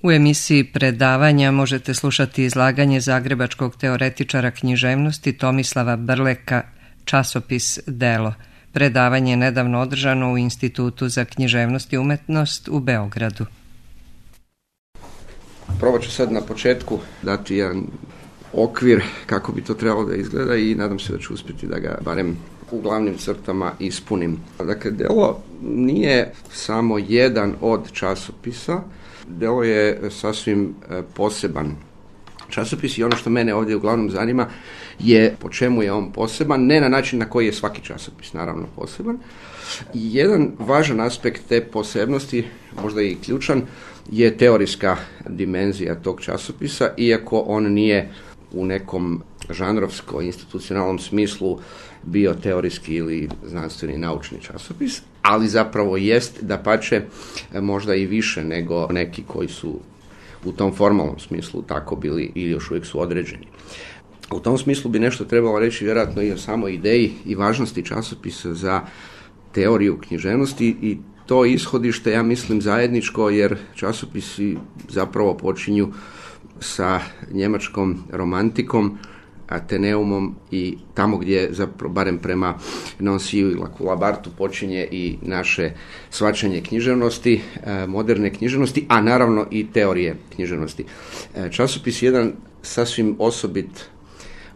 U emisiji Predavanja možete slušati izlaganje zagrebačkog teoretičara književnosti Tomislava Brleka, časopis Delo. Predavanje je nedavno održano u Institutu za književnost i umetnost u Beogradu. Probat ću sad na početku dati jedan okvir kako bi to trebalo da izgleda i nadam se da ću uspjeti da ga barem u glavnim crtama ispunim. Dakle, Delo nije samo jedan od časopisa, Delo je sasvim poseban časopis i ono što mene ovdje uglavnom zanima je po čemu je on poseban, ne na način na koji je svaki časopis naravno poseban. Jedan važan aspekt te posebnosti, možda i ključan, je teorijska dimenzija tog časopisa, iako on nije u nekom žanrovsko-institucionalnom smislu bio teorijski ili znanstveni naučni časopis, ali zapravo jest, dapače, možda i više nego neki koji su u tom formalnom smislu tako bili ili još uvijek su određeni. U tom smislu bi nešto trebalo reći vjerojatno i o samoj ideji i važnosti časopisa za teoriju književnosti i to ishodište, ja mislim, zajedničko, jer časopisi zapravo počinju sa njemačkom romantikom, Ateneumom i tamo gdje, zapravo, barem prema Nanciju i Labartu, počinje i naše shvaćanje književnosti, moderne književnosti, a naravno i teorije književnosti. Časopis je jedan sasvim osobit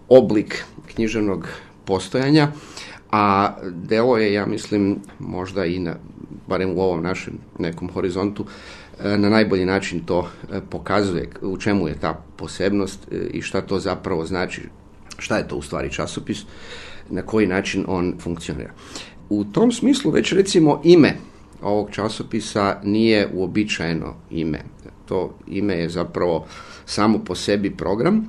oblik književnog postojanja, a Delo je, ja mislim, možda i barem u ovom našem nekom horizontu, na najbolji način to pokazuje u čemu je ta posebnost i šta to zapravo znači, šta je to u stvari časopis, na koji način on funkcionira. U tom smislu već recimo ime ovog časopisa nije uobičajeno ime. To ime je zapravo samo po sebi program.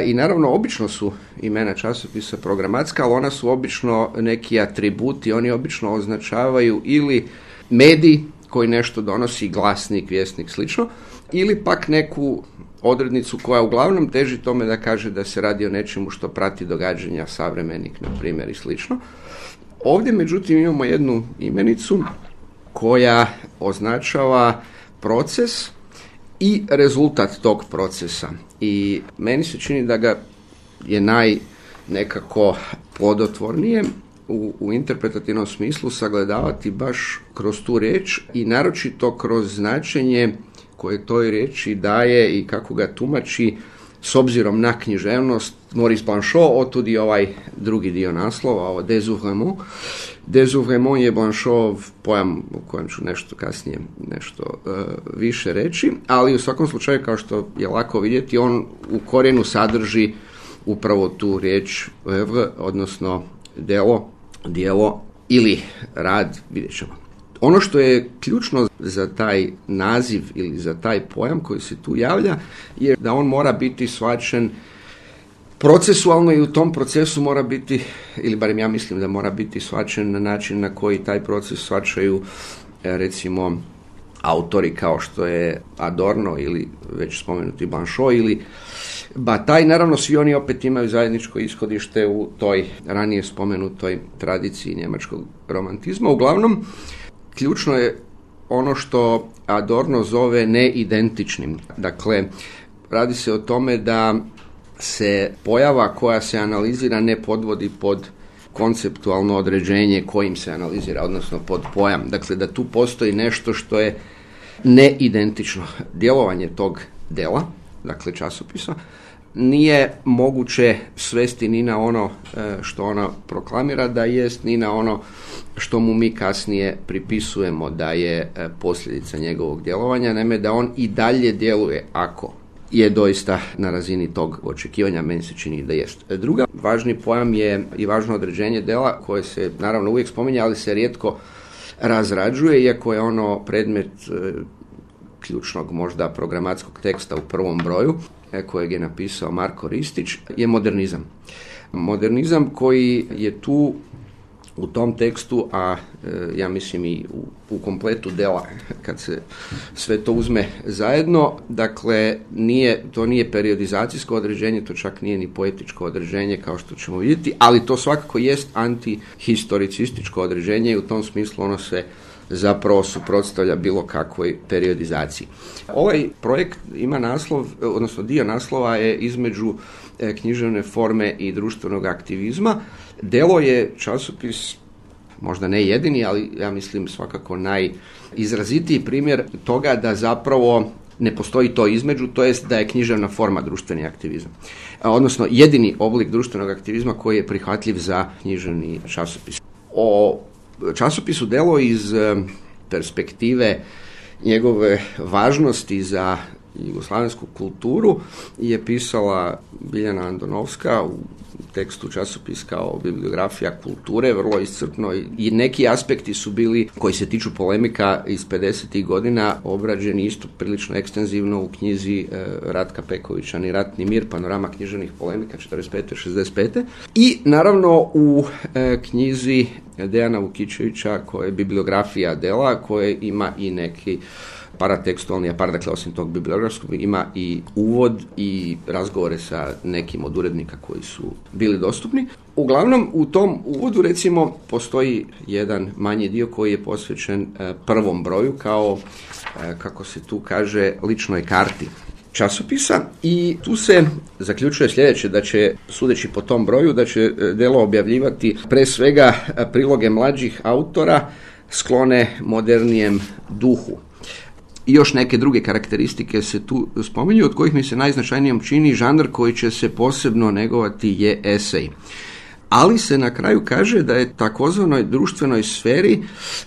I naravno obično su imena časopisa programatska, ali ona su obično neki atributi, oni obično označavaju ili medij koji nešto donosi, glasnik, vjesnik, slično, ili pak neku odrednicu koja uglavnom teži tome da kaže da se radi o nečemu što prati događanja, savremenik, na primjer, i slično. Ovdje, međutim, imamo jednu imenicu koja označava proces i rezultat tog procesa. I meni se čini da ga je nekako plodotvornije u interpretativnom smislu sagledavati baš kroz tu riječ i naročito kroz značenje koje toj riječi daje i kako ga tumači s obzirom na književnost Maurice Blanchot, otud i ovaj drugi dio naslova, ovo désoeuvrement. Désoeuvrement je Blanchotov pojam o kojem ću nešto kasnije više reći, ali u svakom slučaju, kao što je lako vidjeti, on u korijenu sadrži upravo tu riječ œuvre, odnosno djelo ili rad, vidjet ćemo. Ono što je ključno za taj naziv ili za taj pojam koji se tu javlja je da on mora biti shvaćen procesualno i u tom procesu mora biti, ili barem ja mislim da mora biti shvaćen na način na koji taj proces shvaćaju recimo autori kao što je Adorno ili već spomenuti Blanchot ili Bataille. Naravno, svi oni opet imaju zajedničko ishodište u toj ranije spomenutoj tradiciji njemačkog romantizma. Uglavnom, ključno je ono što Adorno zove neidentičnim. Dakle, radi se o tome da se pojava koja se analizira ne podvodi pod konceptualno određenje kojim se analizira, odnosno pod pojam. Dakle, da tu postoji nešto što je neidentično. Djelovanje tog dela, dakle časopisa, nije moguće svesti ni na ono što ona proklamira da jest, ni na ono što mu mi kasnije pripisujemo da je posljedica njegovog djelovanja, naime da on i dalje djeluje ako je doista na razini tog očekivanja, meni se čini da jest. Druga važni pojam je i važno određenje dela koje se naravno uvijek spominje, ali se rijetko razrađuje, iako je ono predmet ključnog možda programatskog teksta u prvom broju kojeg je napisao Marko Ristić, je modernizam. Modernizam koji je tu u tom tekstu, a ja mislim i u kompletu dela kad se sve to uzme zajedno, dakle to nije periodizacijsko određenje, to čak nije ni poetičko određenje kao što ćemo vidjeti, ali to svakako jest antihistoricističko određenje i u tom smislu ono se zapravo suprotstavlja bilo kakvoj periodizaciji. Ovaj projekt ima naslov, odnosno dio naslova je između književne forme i društvenog aktivizma. Delo je časopis, možda ne jedini, ali ja mislim svakako najizrazitiji primjer toga da zapravo ne postoji to između, to jest da je književna forma društveni aktivizam. Odnosno jedini oblik društvenog aktivizma koji je prihvatljiv za književni časopis. O časopisu Delo iz perspektive njegove važnosti za jugoslavensku kulturu je pisala Biljana Andonovska u tekstu časopis kao bibliografija kulture, vrlo iscrpno, i neki aspekti su bili koji se tiču polemika iz 50. godina obrađeni isto prilično ekstenzivno u knjizi Ratka Pekovića Ni rat ni mir, panorama književnih polemika 45-65. I naravno u knjizi Dejana Vukičevića koja je bibliografija Dela, koje ima i neki paratekstualni, dakle osim tog bibliografskog ima i uvod i razgovore sa nekim od urednika koji su bili dostupni. Uglavnom u tom uvodu recimo postoji jedan manji dio koji je posvećen prvom broju kao, kako se tu kaže, ličnoj karti časopisa i tu se zaključuje sljedeće, da će, sudeći po tom broju, da će Delo objavljivati pre svega priloge mlađih autora sklone modernijem duhu. I još neke druge karakteristike se tu spominju, od kojih mi se najznačajnijom čini žanr koji će se posebno negovati je esej. Ali se na kraju kaže da je takozvanoj društvenoj sferi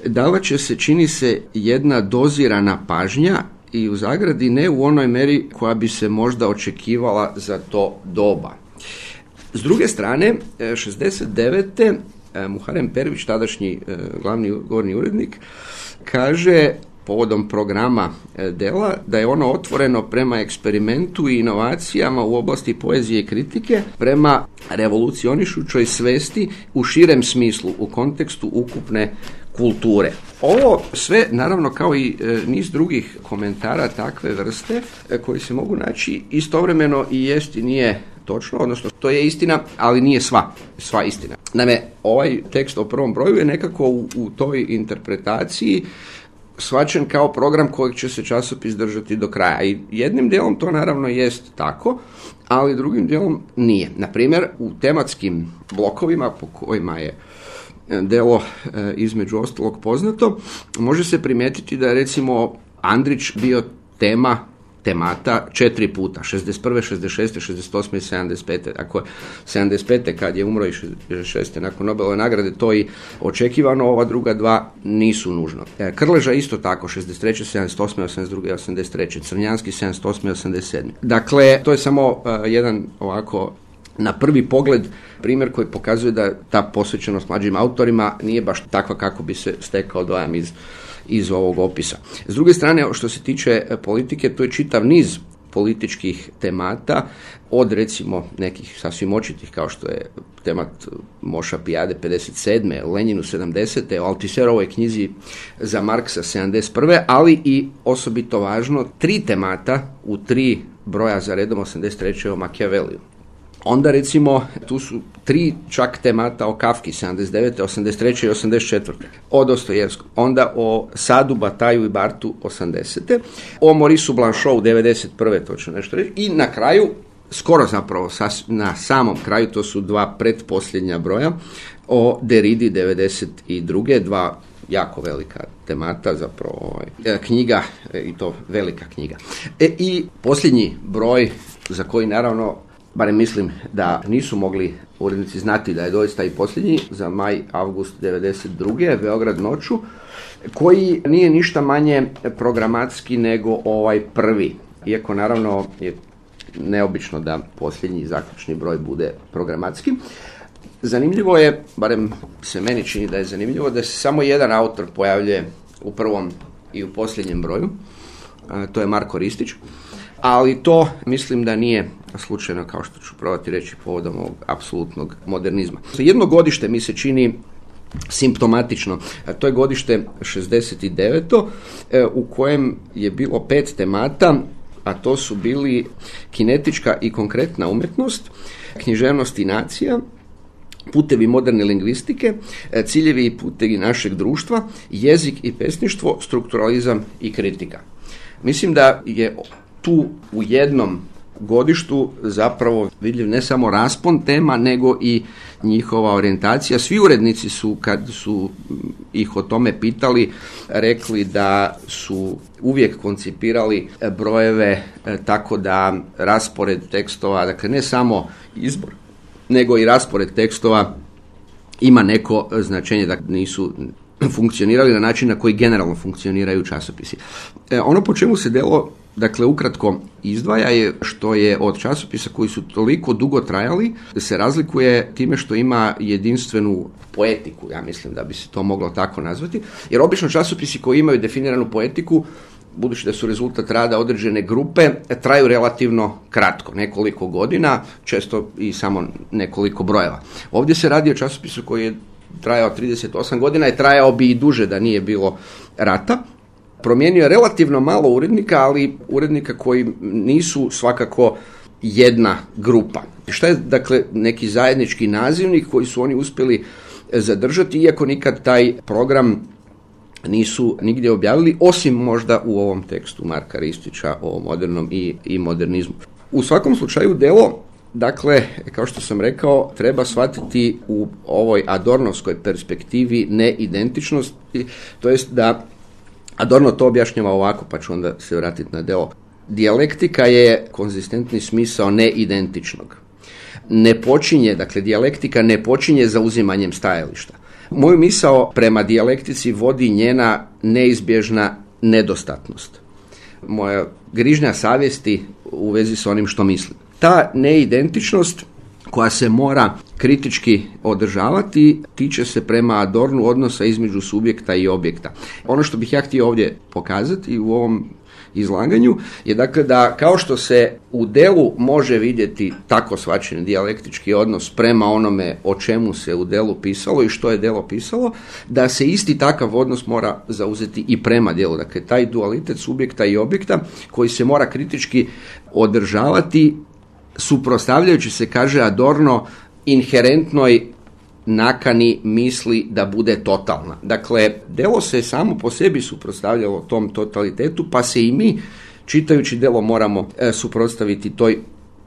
davat će se, čini se, jedna dozirana pažnja i u zagradi ne u onoj meri koja bi se možda očekivala za to doba. S druge strane, 69. Muharem Pervić, tadašnji glavni govorni urednik, kaže povodom programa Dela da je ono otvoreno prema eksperimentu i inovacijama u oblasti poezije i kritike, prema revolucionišućoj svesti u širem smislu, u kontekstu ukupne kulture. Ovo sve, naravno, kao i niz drugih komentara takve vrste koji se mogu naći, istovremeno i jest i nije točno, odnosno to je istina, ali nije sva istina. Naime, ovaj tekst o prvom broju je nekako u toj interpretaciji shvaćen kao program kojeg će se časopis držati do kraja. I jednim dijelom to naravno jest tako, ali drugim dijelom nije. Naprimjer, u tematskim blokovima po kojima je Delo između ostalog poznato, može se primijetiti da je recimo Andrić bio temata 4 puta, 61., 66., 68. i 75. Ako je 75. kad je umro i 66. nakon Nobelove nagrade, to i očekivano, ova druga dva nisu nužno. Krleža isto tako, 63., 78., 82. 83. Crnjanski 78. 87. Dakle, to je samo jedan ovako na prvi pogled primjer koji pokazuje da ta posvećenost mlađim autorima nije baš takva kako bi se stekao dojam iz ovog opisa. S druge strane, što se tiče politike, tu je čitav niz političkih temata, od recimo nekih sasvim očitih kao što je temat Moša Pijade 57. Lenjinu 70. o Altiserovoj knjizi za Marksa 71. ali i osobito važno 3 temata u 3 broja za redom 83. o Machiavelliju. Onda recimo tu su 3 čak temata o Kafki 79., 83. i 84. o Dostojevskom. Onda o Sadu, Bataju i Bartu 80. O Maurisu Blanchotu 91. to ću nešto reći. I na kraju, skoro zapravo na samom kraju, to su 2 pretposljednja broja o Derridi 92. 2 jako velika temata, zapravo knjiga, i to velika knjiga. I posljednji broj za koji naravno, barem mislim da nisu mogli urednici znati da je doista i posljednji, za maj-avgust 92. Beograd noću, koji nije ništa manje programatski nego ovaj prvi. Iako naravno je neobično da posljednji zaključni broj bude programatski. Zanimljivo je, barem se meni čini da je zanimljivo, da se samo jedan autor pojavljuje u prvom i u posljednjem broju. To je Marko Ristić. Ali to mislim da nije slučajno, kao što ću probati reći povodom ovog apsolutnog modernizma. Jedno godište mi se čini simptomatično, a to je godište 69. u kojem je bilo 5 temata, a to su bili kinetička i konkretna umjetnost, književnost i nacija, putevi moderne lingvistike, ciljevi i putevi našeg društva, jezik i pesništvo, strukturalizam i kritika. Mislim da je tu u jednom godištu zapravo vidljiv ne samo raspon tema, nego i njihova orijentacija. Svi urednici su, kad su ih o tome pitali, rekli da su uvijek koncipirali brojeve tako da raspored tekstova, dakle ne samo izbor, nego i raspored tekstova ima neko značenje, da nisu funkcionirali na način na koji generalno funkcioniraju časopisi. Ono po čemu se Delo, dakle, ukratko izdvaja je što je od časopisa koji su toliko dugo trajali, se razlikuje time što ima jedinstvenu poetiku, ja mislim da bi se to moglo tako nazvati, jer obično časopisi koji imaju definiranu poetiku, budući da su rezultat rada određene grupe, traju relativno kratko, nekoliko godina, često i samo nekoliko brojeva. Ovdje se radi o časopisu koji je trajao 38 godina i trajao bi i duže da nije bilo rata. Promijenio je relativno malo urednika, ali urednika koji nisu svakako jedna grupa. Šta je, dakle, neki zajednički nazivnik koji su oni uspjeli zadržati, iako nikad taj program nisu nigdje objavili, osim možda u ovom tekstu Marka Ristića o modernom i modernizmu. U svakom slučaju Delo, dakle, kao što sam rekao, treba shvatiti u ovoj adornovskoj perspektivi neidentičnosti, to jest da Adorno to objašnjava ovako, pa ću onda se vratiti na Delo. Dijalektika je konzistentni smisao neidentičnog. Ne počinje, dakle, dijalektika ne počinje zauzimanjem stajališta. Moju misao prema dijalektici vodi njena neizbježna nedostatnost. Moja grižnja savjesti u vezi s onim što mislim. Ta neidentičnost koja se mora kritički održavati tiče se prema Adornu odnosa između subjekta i objekta. Ono što bih ja htio ovdje pokazati u ovom izlaganju je, dakle, da kao što se u Delu može vidjeti tako shvaćen dijalektički odnos prema onome o čemu se u Delu pisalo i što je Delo pisalo, da se isti takav odnos mora zauzeti i prema Delu. Dakle, taj dualitet subjekta i objekta koji se mora kritički održavati, suprotstavljajući se, kaže Adorno, inherentnoj nakani misli da bude totalna. Dakle, Delo se samo po sebi suprotstavljalo tom totalitetu, pa se i mi, čitajući Delo, moramo suprotstaviti toj,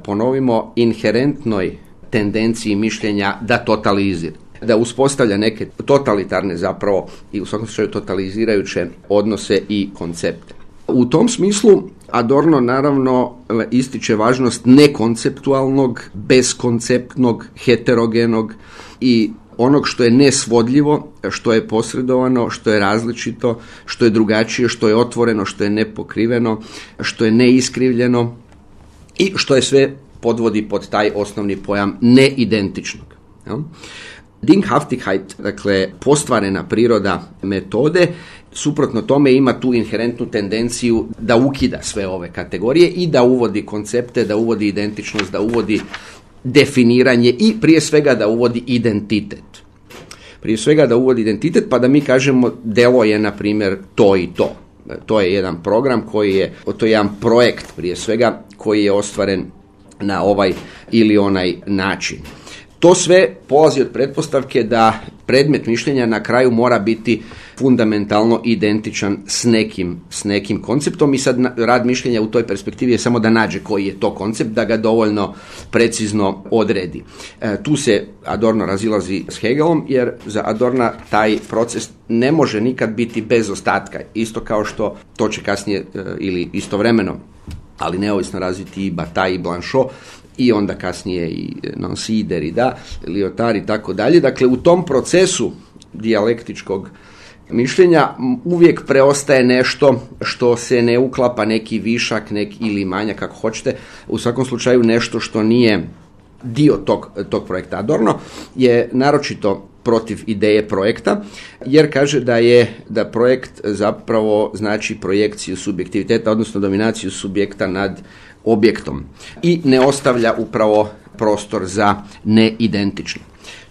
ponovimo, inherentnoj tendenciji mišljenja da totalizira, da uspostavlja neke totalitarne, zapravo, i u svakom slučaju totalizirajuće odnose i koncepte. U tom smislu Adorno naravno ističe važnost nekonceptualnog, beskonceptnog, heterogenog i onog što je nesvodljivo, što je posredovano, što je različito, što je drugačije, što je otvoreno, što je nepokriveno, što je neiskrivljeno i što je sve podvodi pod taj osnovni pojam neidentičnog. Dinghaftigkeit, dakle postvarena priroda metode, suprotno tome ima tu inherentnu tendenciju da ukida sve ove kategorije i da uvodi koncepte, da uvodi identičnost, da uvodi definiranje i prije svega da uvodi identitet. Prije svega da uvodi identitet, pa da mi kažemo Delo je, na primjer, to i to. To je jedan program koji je, to je jedan projekt prije svega koji je ostvaren na ovaj ili onaj način. To sve polazi od pretpostavke da predmet mišljenja na kraju mora biti fundamentalno identičan s nekim konceptom i sad rad mišljenja u toj perspektivi je samo da nađe koji je to koncept, da ga dovoljno precizno odredi. Tu se Adorno razilazi s Hegelom, jer za Adorna taj proces ne može nikad biti bez ostatka, isto kao što to će kasnije ili istovremeno, ali neovisno razviti i Bataille i Blanchot, i onda kasnije i Nancy, Derrida, Lyotard i tako dalje. Dakle, u tom procesu dijalektičkog mišljenja uvijek preostaje nešto što se ne uklapa, neki višak, ili manjak, kako hoćete, u svakom slučaju nešto što nije dio tog projekta. Adorno je naročito protiv ideje projekta, jer kaže da projekt zapravo znači projekciju subjektiviteta, odnosno dominaciju subjekta nad objektom i ne ostavlja upravo prostor za neidentično.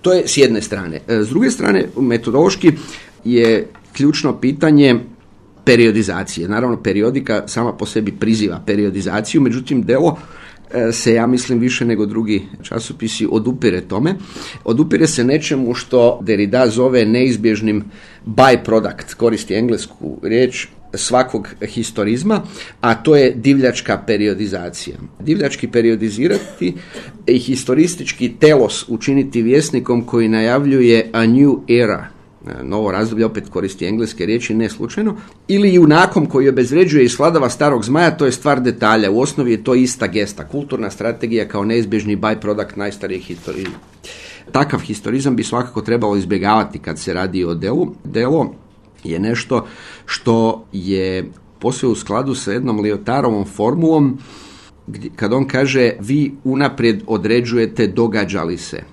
To je s jedne strane. S druge strane, metodološki je ključno pitanje periodizacije. Naravno, periodika sama po sebi priziva periodizaciju, međutim, delo se, ja mislim, više nego drugi časopisi odupire tome. Odupire se nečemu što Derrida zove neizbježnim byproduct, koristi englesku riječ, svakog historizma, a to je divljačka periodizacija. Divljački periodizirati i historistički telos učiniti vjesnikom koji najavljuje a new era, novo razdoblje, opet koristi engleske riječi, ne slučajno, ili junakom koji obezvređuje i svladava starog zmaja, to je stvar detalja. U osnovi je to ista gesta, kulturna strategija kao neizbježni byproduct najstarijih historizma. Takav historizam bi svakako trebalo izbjegavati kad se radi o delu. Delo je nešto što je posve u skladu sa jednom Lyotarovom formulom, kad on kaže vi unaprijed određujete događa li se.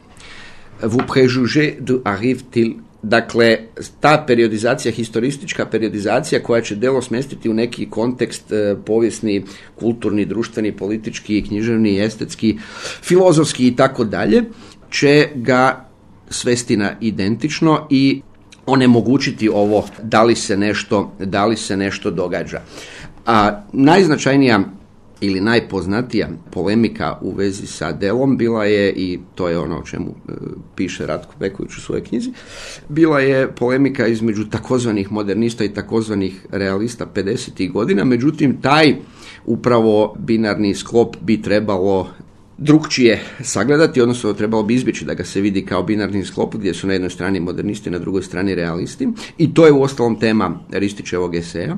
Vous préjugez du arrive-t-il. Dakle, ta periodizacija, historistička periodizacija koja će delo smjestiti u neki kontekst povijesni, kulturni, društveni, politički, književni, estetski, filozofski i tako dalje, će ga svesti na identično i onemogućiti ovo da li se nešto događa. A najznačajnija ili najpoznatija polemika u vezi sa delom bila je, i to je ono o čemu piše Ratko Beković u svojoj knjizi, bila je polemika između takozvanih modernista i takozvanih realista 50. godina, međutim taj upravo binarni sklop bi trebalo drukčije sagledati, odnosno trebalo bi izbjeći da ga se vidi kao binarni sklop gdje su na jednoj strani modernisti, na drugoj strani realisti, i to je uostalom tema Ristićevog eseja.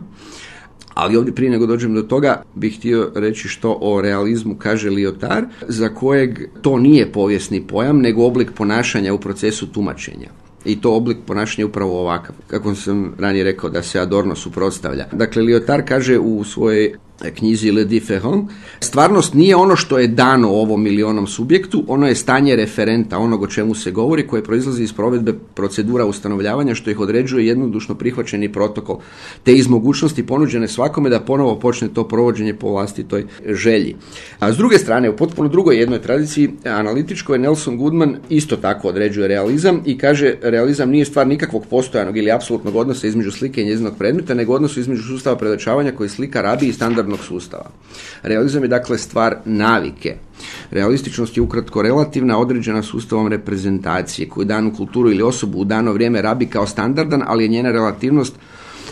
Ali ovdje prije nego dođem do toga bih htio reći što o realizmu kaže Lyotard, za kojeg to nije povijesni pojam, nego oblik ponašanja u procesu tumačenja. I to oblik ponašanja upravo ovakav, kako sam ranije rekao da se Adorno suprotstavlja. Dakle, Lyotard kaže u svojoj knjizi Le Différent, stvarnost nije ono što je dano ovom milionom subjektu, ono je stanje referenta, onog o čemu se govori, koje proizlazi iz provedbe procedura ustanovljavanja, što ih određuje jednodušno prihvaćeni protokol, te iz mogućnosti ponuđene svakome da ponovo počne to provođenje po vlastitoj želji. A s druge strane, u potpuno drugoj jednoj tradiciji analitičkoj, Nelson Goodman isto tako određuje realizam i kaže realizam nije stvar nikakvog postojanog ili apsolutnog odnosa između slike i njezinog predmeta, nego odnosu između sustava predočavanja koji slika rabi i standardnog sustava. Realizam je dakle stvar navike. Realističnost je ukratko relativna, određena sustavom reprezentacije koju danu kulturu ili osobu u dano vrijeme rabi kao standardan, ali je njena relativnost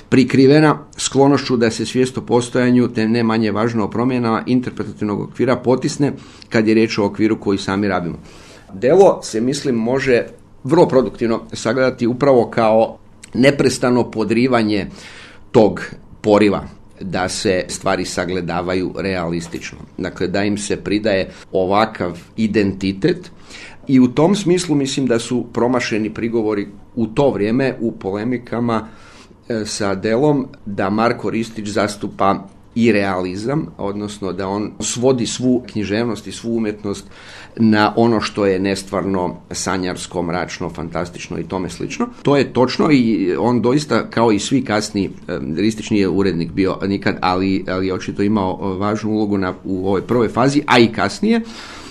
prikrivena sklonošću da se svijest o postojanju, te ne manje važno o promjenama interpretativnog okvira potisne kad je riječ o okviru koji sami rabimo. Delo se, mislim, može vrlo produktivno sagledati upravo kao neprestano podrivanje tog poriva da se stvari sagledavaju realistično. Dakle, da im se pridaje ovakav identitet i u tom smislu mislim da su promašeni prigovori u to vrijeme u polemikama sa delom da Marko Ristić zastupa i realizam, odnosno da on svodi svu književnost i svu umjetnost na ono što je nestvarno, sanjarsko, mračno, fantastično i tome slično. To je točno i on doista, kao i svi kasniji, Ristić nije urednik bio nikad, ali je očito imao važnu ulogu u ovoj prvoj fazi, a i kasnije,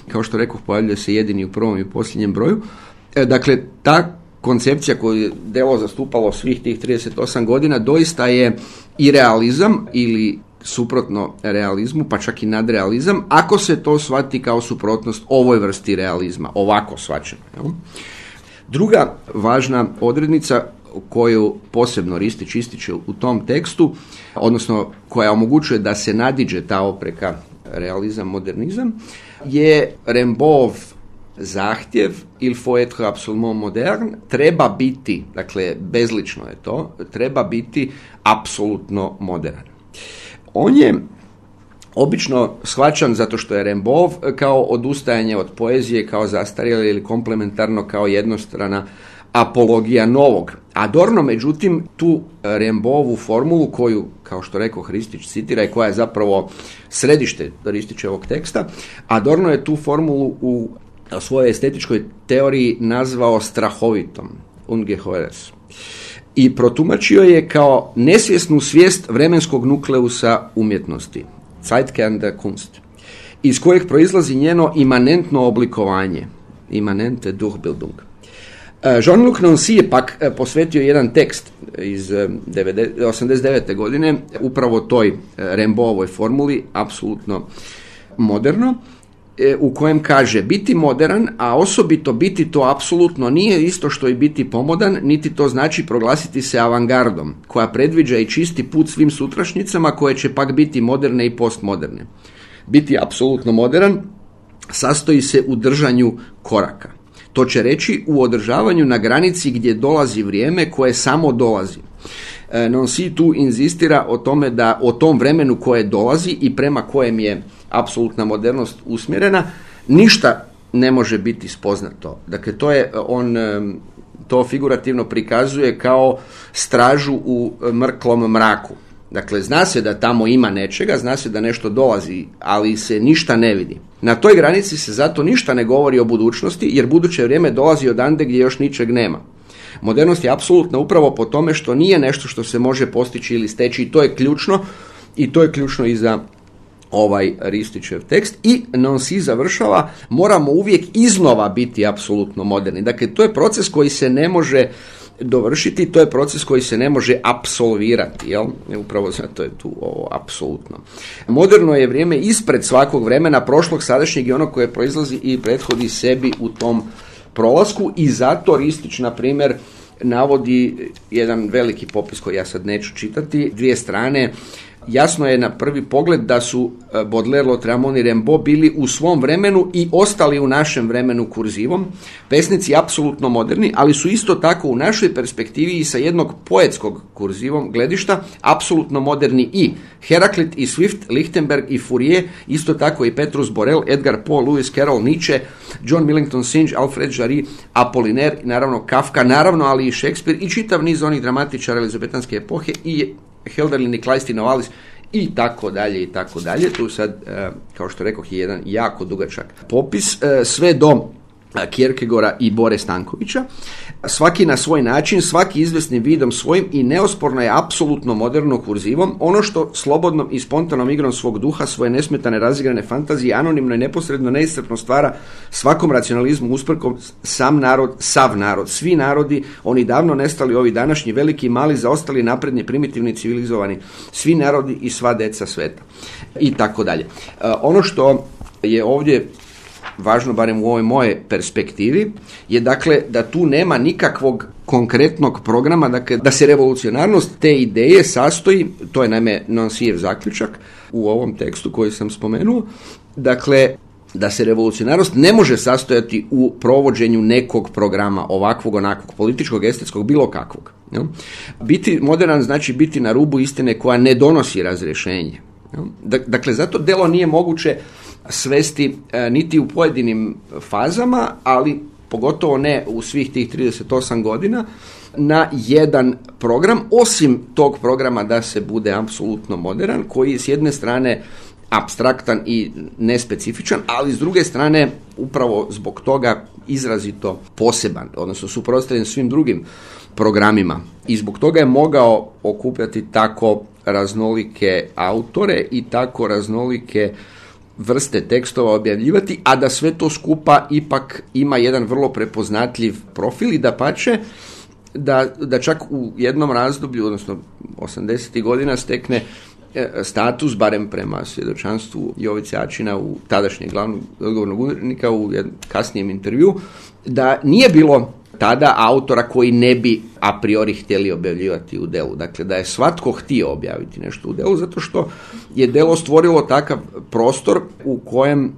kao što rekoh, pojavljuje se jedini u prvom i posljednjem broju. Dakle, ta koncepcija koju je delo zastupalo svih tih 38 godina doista je i realizam ili suprotno realizmu, pa čak i nadrealizam, ako se to shvati kao suprotnost ovoj vrsti realizma, ovako shvaćeno. Druga važna odrednica koju posebno Ristić ističe u tom tekstu, odnosno koja omogućuje da se nadiđe ta opreka realizam-modernizam, je Rimbaudov zahtjev il faut être absolument moderne, treba biti, dakle bezlično je to, treba biti apsolutno modern. On je obično shvaćan zato što je Rimbaud kao odustajanje od poezije, kao zastarjelo ili komplementarno, kao jednostrana apologija novog. Adorno, međutim, tu Rimbaudovu formulu koju, kao što rekao, Ristić citira i koja je zapravo središte Ristićevog teksta, Adorno je tu formulu u svojoj estetičkoj teoriji nazvao strahovitom, ungeheures, i protumačio je kao nesvjesnu svijest vremenskog nukleusa umjetnosti, Zeitkern der Kunst, iz kojeg proizlazi njeno imanentno oblikovanje, imanente Durchbildung. Jean-Luc Nancy je pak posvetio jedan tekst iz 89. godine upravo toj Rimbaudovoj formuli, apsolutno moderno, u kojem kaže: biti modern, a osobito biti to apsolutno nije isto što i biti pomodan, niti to znači proglasiti se avangardom, koja predviđa i čisti put svim sutrašnjicama koje će pak biti moderne i postmoderne. Biti apsolutno modern sastoji se u držanju koraka. To će reći u održavanju na granici gdje dolazi vrijeme koje samo dolazi. Nancy tu inzistira o tome da o tom vremenu koje dolazi i prema kojem je apsolutna modernost usmjerena, ništa ne može biti spoznato. Dakle, on to figurativno prikazuje kao stražu u mrklom mraku. Dakle, zna se da tamo ima nečega, zna se da nešto dolazi, ali se ništa ne vidi. Na toj granici se zato ništa ne govori o budućnosti, jer buduće vrijeme dolazi odande gdje još ničeg nema. Modernost je apsolutna upravo po tome što nije nešto što se može postići ili steći, i to je ključno i za ovaj Ristićev tekst. I Nancy završava: moramo uvijek iznova biti apsolutno moderni. Dakle, to je proces koji se ne može dovršiti, to je proces koji se ne može apsolvirati, jel? Upravo zato je tu ovo apsolutno. Moderno je vrijeme ispred svakog vremena, prošlog, sadašnjeg i onog koje proizlazi i prethodi sebi u tom prolasku, i zato Ristić, na primjer, navodi jedan veliki popis koji ja sad neću čitati, 2 strane. Jasno je na prvi pogled da su Baudelaire, Lautréamont i Rimbaud bili u svom vremenu i ostali u našem vremenu kurzivom, pesnici apsolutno moderni, ali su isto tako u našoj perspektivi i sa jednog poetskog kurzivom gledišta apsolutno moderni i Heraklit i Swift, Lichtenberg i Fourier, isto tako i Petrus Borel, Edgar Poe, Lewis Carroll, Nietzsche, John Millington Synge, Alfred Jarry, Apollinaire, naravno Kafka, naravno, ali i Shakespeare i čitav niz onih dramatičara elizabetanske epohe i Hölderlin i Kleist i Novalis i tako dalje i tako dalje. Tu sad, kao što rekoh, je jedan jako dugačak popis, sve do Kierkegaarda i Bore Stankovića. Svaki na svoj način, svaki izvesnim vidom svojim, i neosporno je apsolutno moderno kurzivom ono što slobodnom i spontanom igrom svog duha, svoje nesmetane razigrane fantazije, anonimno i neposredno neiscrpno stvara svakom racionalizmu usprkom sam narod, sav narod, svi narodi, oni davno nestali, ovi današnji, veliki i mali, zaostali, napredni, primitivni, civilizovani, svi narodi i sva deca sveta i tako dalje. Ono što je ovdje važno, barem u ovoj moje perspektivi, je dakle da tu nema nikakvog konkretnog programa, dakle da se revolucionarnost te ideje sastoji, to je naime Nancyjev zaključak u ovom tekstu koji sam spomenuo, dakle da se revolucionarnost ne može sastojati u provođenju nekog programa, ovakvog, onakvog, političkog, estetskog, bilo kakvog. Biti moderan znači biti na rubu istine koja ne donosi razrješenje. Dakle, zato delo nije moguće svesti niti u pojedinim fazama, ali pogotovo ne u svih tih 38 godina, na jedan program, osim tog programa da se bude apsolutno modern, koji je s jedne strane apstraktan i nespecifičan, ali s druge strane upravo zbog toga izrazito poseban, odnosno suprotstavljen svim drugim programima. I zbog toga je mogao okupljati tako raznolike autore i tako raznolike vrste tekstova objavljivati, a da sve to skupa ipak ima jedan vrlo prepoznatljiv profil i dapače da čak u jednom razdoblju, odnosno 80. godina, stekne status, barem prema svjedočanstvu Jovice Ačina, u tadašnjeg glavnog odgovornog urednika, u kasnijem intervju, da nije bilo tada autora koji ne bi a priori htjeli objavljivati u delu. Dakle, da je svatko htio objaviti nešto u delu, zato što je delo stvorilo takav prostor u kojem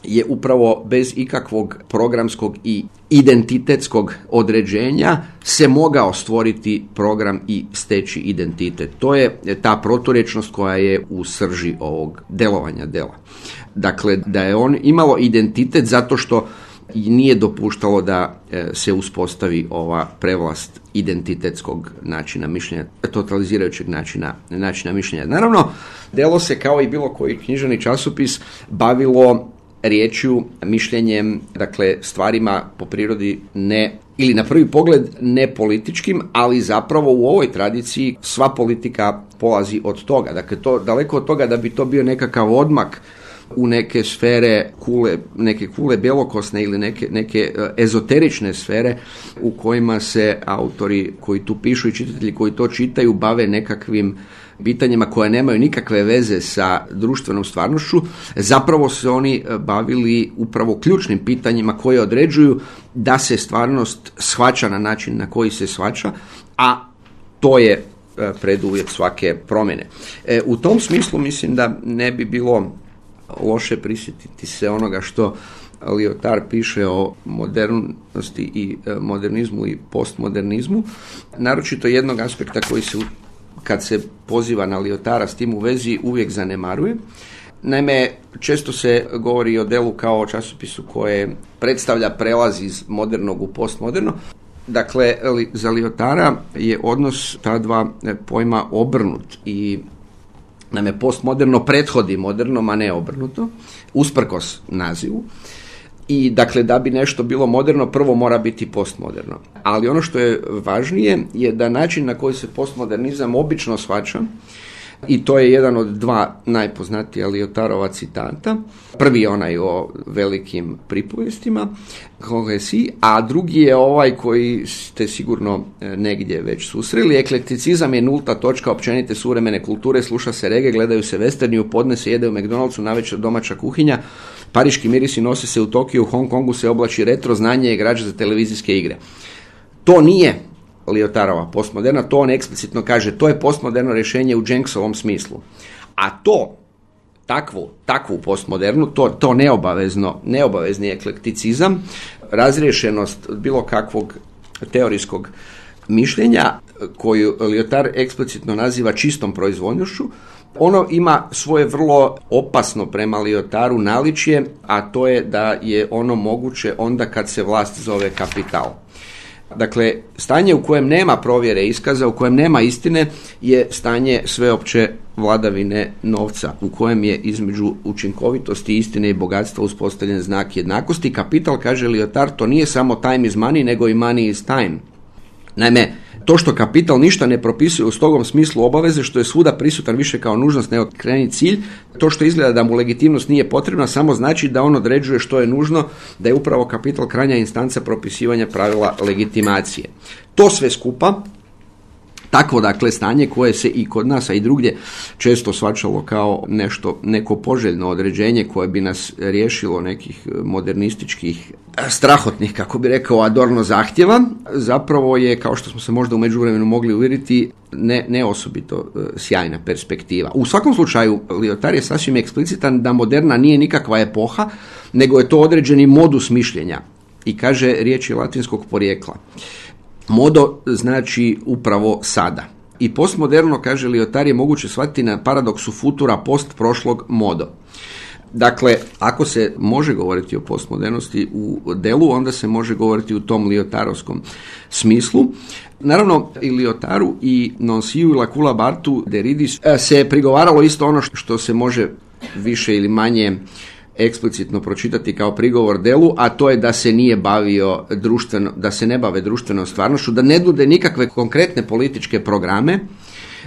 je upravo bez ikakvog programskog i identitetskog određenja se mogao stvoriti program i steći identitet. To je ta proturječnost koja je u srži ovog delovanja dela. Dakle, da je on imalo identitet zato što i nije dopuštalo da se uspostavi ova prevlast identitetskog načina mišljenja, totalizirajućeg načina mišljenja. Naravno, delo se kao i bilo koji književni časopis bavilo riječju, mišljenjem, dakle stvarima po prirodi ne, ili na prvi pogled ne političkim, ali zapravo u ovoj tradiciji sva politika polazi od toga. Dakle, to daleko od toga da bi to bio nekakav odmak u neke sfere neke kule bjelokosne ili neke ezoterične sfere u kojima se autori koji tu pišu i čitatelji koji to čitaju bave nekakvim pitanjima koja nemaju nikakve veze sa društvenom stvarnošću. Zapravo se oni bavili upravo ključnim pitanjima koje određuju da se stvarnost shvaća na način na koji se shvaća, a to je preduvjet svake promjene. U tom smislu mislim da ne bi bilo loše prisjetiti se onoga što Lyotard piše o modernosti i modernizmu i postmodernizmu, naročito jednog aspekta koji se, kad se poziva na Lyotarda s tim u vezi, uvijek zanemaruje. Naime, često se govori o Delu kao o časopisu koje predstavlja prelaz iz modernog u postmoderno. Dakle, za Lyotarda je odnos ta dva pojma obrnut i naime postmoderno prethodi modernom, a ne obrnuto, usprkos nazivu. I dakle, da bi nešto bilo moderno, prvo mora biti postmoderno. Ali ono što je važnije je da način na koji se postmodernizam obično shvaća, i to je jedan od dva najpoznatija Lyotardova citata. Prvi je onaj o velikim pripovjestima, a drugi je ovaj koji ste sigurno negdje već susreli. Eklekticizam je nulta točka općenite suvremene kulture, sluša se reggae, gledaju se westerni, u podne se jede u McDonald'su, navečer domaća kuhinja, pariški mirisi nose se u Tokiju, u Hong Kongu se oblači retro, znanje je građa za televizijske igre. To nije Lyotardova postmoderna, to on eksplicitno kaže, to je postmoderno rješenje u Jenksovom smislu. A to, takvu postmodernu, to neobavezni eklekticizam, razriješenost bilo kakvog teorijskog mišljenja, koju Lyotard eksplicitno naziva čistom proizvoljnošću, ono ima svoje vrlo opasno prema Lyotardu naličje, a to je da je ono moguće onda kad se vlast zove kapital. Dakle, stanje u kojem nema provjere iskaza, u kojem nema istine, je stanje sveopće vladavine novca, u kojem je između učinkovitosti, istine i bogatstva uspostavljen znak jednakosti. Kapital, kaže Lyotard, to nije samo time is money, nego i money is time. Naime, to što kapital ništa ne propisuje u strogom smislu obaveze, što je svuda prisutan više kao nužnost nego krajnji cilj, to što izgleda da mu legitimnost nije potrebna, samo znači da on određuje što je nužno, da je upravo kapital krajnja instanca propisivanja pravila legitimacije. To sve skupa, takvo dakle stanje koje se i kod nas, a i drugdje često shvaćalo kao neko poželjno određenje koje bi nas riješilo nekih modernističkih strahotnih, kako bi rekao, Adorno zahtjeva, zapravo je, kao što smo se možda u međuvremenu mogli uvjeriti, ne osobito sjajna perspektiva. U svakom slučaju, Lyotard je sasvim eksplicitan da moderna nije nikakva epoha, nego je to određeni modus mišljenja. I kaže, riječ je latinskog porijekla. Modo znači upravo sada. I postmoderno, kaže Lyotard, je moguće shvatiti na paradoksu futura post prošlog modo. Dakle, ako se može govoriti o postmodernosti u Delu, onda se može govoriti u tom Lyotardovskom smislu. Naravno, i Lyotardu i Nonciu i Lacula Bartu Derridis se prigovaralo isto ono što se može više ili manje eksplicitno pročitati kao prigovor Delu, a to je da se da se ne bave društvenom stvarnošću, da ne nude nikakve konkretne političke programe,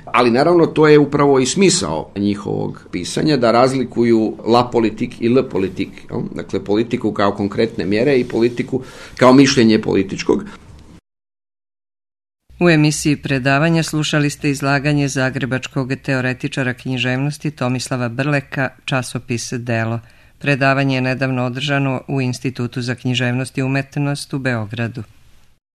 ali naravno to je upravo i smisao njihovog pisanja, da razlikuju la politique i le politique, dakle politiku kao konkretne mjere i politiku kao mišljenje političkog. U emisiji predavanja slušali ste izlaganje zagrebačkog teoretičara književnosti Tomislava Brleka, časopis Delo. Predavanje je nedavno održano u Institutu za književnost i umetnost u Beogradu.